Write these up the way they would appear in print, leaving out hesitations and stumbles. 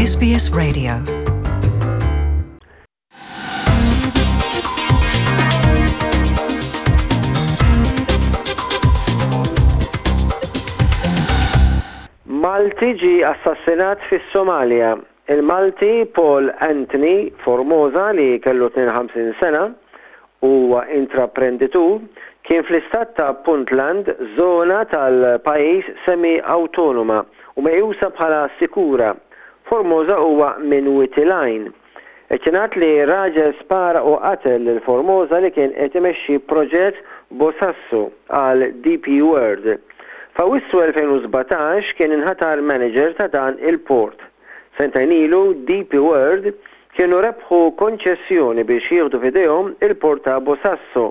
SBS Radio. Malti ġie assassinat fis-Somalja. Il-Malti Paul Anthony Formosa li kellu 52 sena u huwa intraprenditur, kien fl-istat ta' Puntland, żona tal-pajjiż semi-awtonoma u meqjusa bħala sikura. Formosa huwa minn Wied il-Għajn. Qed jingħad li raġel spara u qatel lil Formosa li kien qed imexxi proġett Bosaso għal DP World. F'Awwissu 2017 kien inħatar manager ta' dan il-port. Sentejn ilu DP World kienu rebħu konċessjoni biex jieħdu f'idejhom il-port ta' Bosaso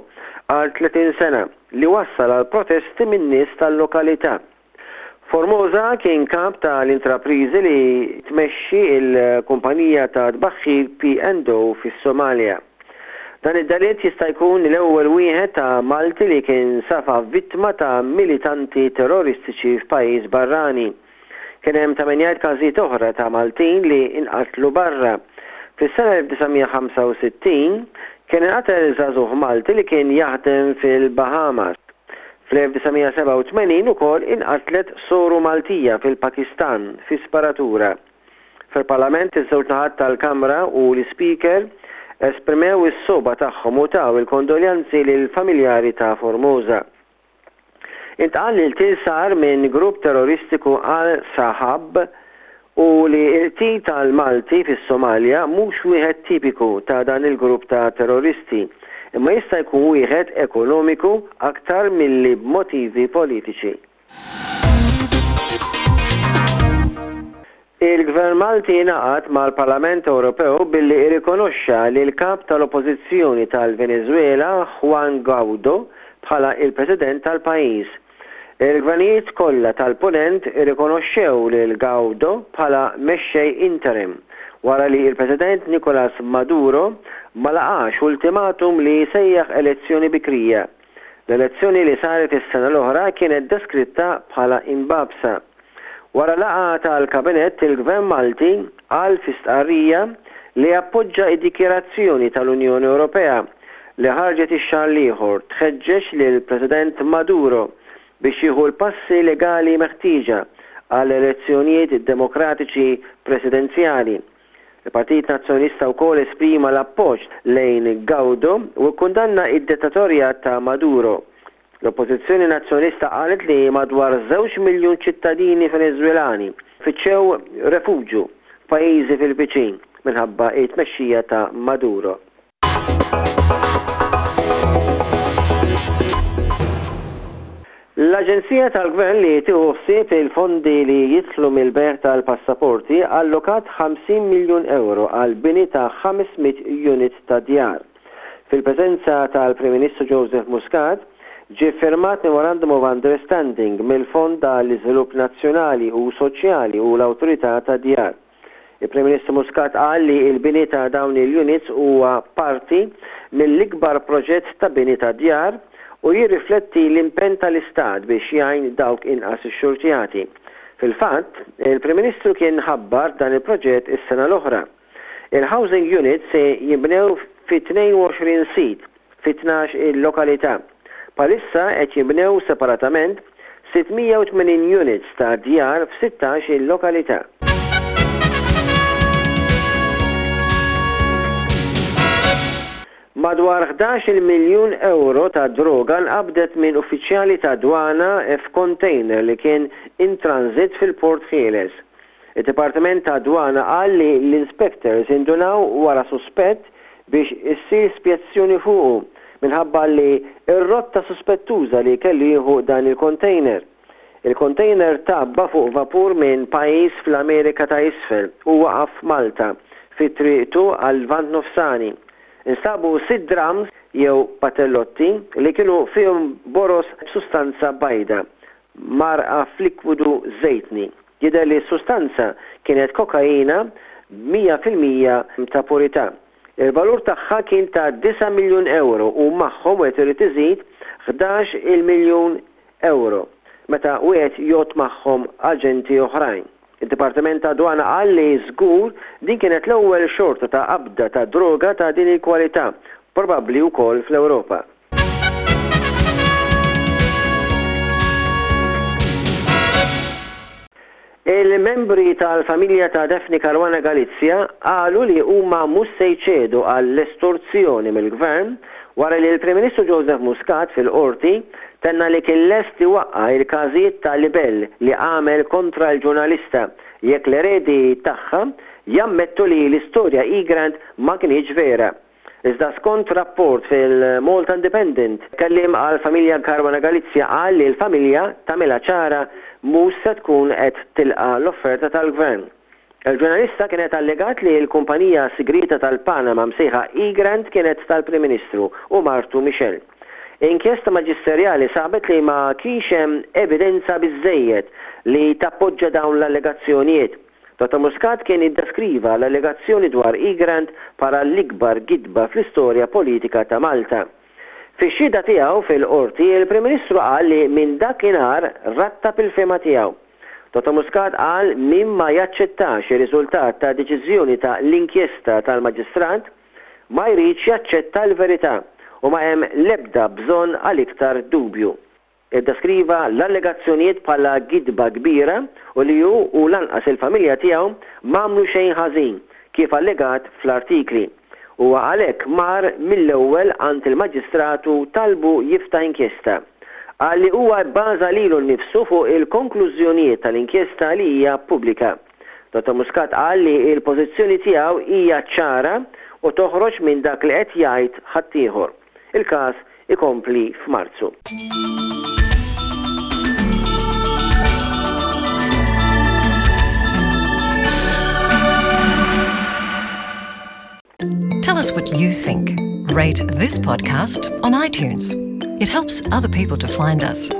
għal 30 sena li wassal għal protesti min-nies tal-lokalità. Formosa kien kap ta' l-intrapriżi li tmexxi l-kumpanija ta' tbaħħir P and O fis-Somalja. Dan id-delitt jista' jkun l-ewwel wieħed ta' Malti li kien safa vittma ta' militanti terroristiċi f'pajjiż barrani. Kien hemm ta' min jgħid każijiet oħra ta' Maltin li nqatlu barra. Fis-sena 1965 kien inqatel żagħżugħ Malti li kien jaħdem fil-Bahamas. Fl-1987 ukoll inqatlet soru Maltija fil-Pakistan fi sparatura. Fil-Parlament iż-żewġ naħat tal-Kamra u l-Ispeaker esprimew is-sogħba tagħhom u taw il-kondoljanzi lill-familjari ta' Formosa. Intqal li l-qtil sar minn grupp terroristiku Al-Sahab u li l-qtil tal-Malti fis-Somalja mhux wieħed tipiku ta' dan il-grupp ta' terroristi, imma jista' jkun wieħed ekonomiku aktar milli b'motivi politiċi. Il-Gvern Malti ingħaqad mal-Parlament Ewropew billi irrikonoxxa lill-Kap tal-Oppożizzjoni tal-Veneżwela Juan Guaido bħala il-President tal-pajjiż. Il-gvernijiet kollha tal-Punent irrikonoxxew lil Guaido bħala mexxej interim, wara li l-President Nicolas Maduro ma laqax ultimatum li jsejjaħ elezzjoni bikrija. L-elezzjoni li saret is-sena l-oħra kienet deskritta bħala imbagħbsa. Wara laqgħa tal-Kabinett, il-Gvern Malti qal fi stqarrija li jappoġġa d-dikjarazzjoni tal-Unjoni Ewropea li ħarġet ix-xahar l-ieħor tħeġġeġ lill-President Maduro biex jieħu l-passi legali meħtieġa għal elezzjonijiet demokratiċi presidenzjali. Il-Partit Nazzjonalista wkoll esprima l-appoġġ lejn Gaudo u kkundanna d-dittatorjat ta' Maduro. L-Oppożizzjoni Nazzjonalista qalet li madwar żewġ miljun ċittadini Veneżwelani fittxew refuġju f'pajjiżi fil-viċin minħabba t-tmexxija ta' Maduro. L-Aġenzija tal-Gvern li tieħu ħsieb il-fondi li jidħlu mill-bejgħ tal-passaporti allokat 50 miljun ewro għall-bini ta' 500 unit ta' djar. Fil-preżenza tal-Prim Ministru Joseph Muscat, ġie ffirmat Memorandum of Understanding mill-Fond għall-Iżvilupp Nazzjonali u Soċjali u l-Awtorità tad-Djar. Il-Prim Ministru Muscat qal li l-bini ta' dawn il-units huwa parti mill-ikbar proġett ta' bini ta' djar u jirrifletti l-impenn tal-Istat biex jgħin dawk inqas ixxurtjati. Fil-fatt, il-Prim Ministru kien ħabbar dan il-proġett is-sena l-oħra. Il-housing units se jinbnew fi 22 sit fi 12 il-lokalità. Bħalissa qed jinbnew separatament 680 units ta' djar f'16 il-lokalità. Madwar 11-il miljun ewro ta' droga nqabdet minn uffiċjali tad-dwana f'kontejner li kien in transit fil-Port Ħieles. Id-Dipartiment tad-Dwana qal li l-inspectors indunaw wara suspett biex issir spjezzjoni fuqu minħabba li r-rotta suspettuża li kellu jieħu dan il-kontejner. Il-kontejner tgħabba fuq vapur minn pajjiż fl-Amerika ta' Isfel u waqaf f'Malta fi triqtu għal-Lvant Nofsani. Instabu sitt drums jew patellotti li kienu fihom boroż b'sustanza bajda mgħarrqa f'likwidu żejtni. Jidher li s-sustanza kienet kokaina b'100% ta' purità. Il-valur tagħha kien ta' disa' miljun ewro u magħhom wieħed irid iżid 11 il miljun ewro meta wieħed jgħodd magħhom aġenti oħrajn. Id-Dipartiment tad-Dwana qal li żgur din kienet l-ewwel xorta ta' qabda ta' droga ta' din il-kwalità, probabbli wkoll fl-Ewropa. Il-membri tal-familja ta' Daphne Caruana Galizia qalu li huma mhux se jċedu għall-estorzjoni mill-Gvern wara li l-Prim Ministru Joseph Muscat fil-Qorti tenna li kien lest iwaqqa' il-każijiet ta' libell li għamel kontra l-ġurnalista jekk l-eredi tagħha jammettu li l-istorja Egrant ma kinitx vera. Iżda skont rapport fil-Malta Independent, kelliem għall-familja Caruana Galizia qal li l-familja tagħmilha ċara mhux se tkun qed tilqa' l-offerta tal-Gvern. Il-ġurnalista kienet allegat li l-kumpanija sigrieta tal-Panama msejħa Egrant kienet tal-Prim Ministru u martu Michelle. Inkjesta maġisterjali sabet li ma kienx hemm evidenza biżżejjed li tappoġġa dawn l-allegazzjonijiet. Dottor Muscat kien iddeskriva l-allegazzjoni dwar Egrant bħala l-ikbar gidba fl-istorja politika ta' Malta. Fix-xhieda tiegħu fil-Qorti, il-Prim Ministru qal li minn dakinhar rattab il-fehma tiegħu. Dottor Muscat qal min ma jaċċettax ir-riżultat ta' deċiżjoni ta' l-inkjesta tal-Maġistrat, ma jridx jaċċetta l-verità u ma hemm l-ebda bżonn għal iktar dubju. Iddeskriva l-allegazzjonijiet bħala gidba kbira u li hu u lanqas il-familja tiegħu m'għamlu xejn ħażin, kif allegat fl-artikli. Huwa għalhekk mar mill-ewwel għand il-Maġistrat u talbu jiftaħ inkjesta. Qal li huwa bbaża lilu nnifsu fuq il-konklużjonijiet tal-inkjesta li hija pubblika. Dottor Muscat qal li l-pożizzjoni tiegħu hija ċara u toħroġ minn dak li qed jgħid ħaddieħor. Il-każ ikompli f'Marzu. Tell us what you think. Rate this podcast on iTunes. It helps other people to find us.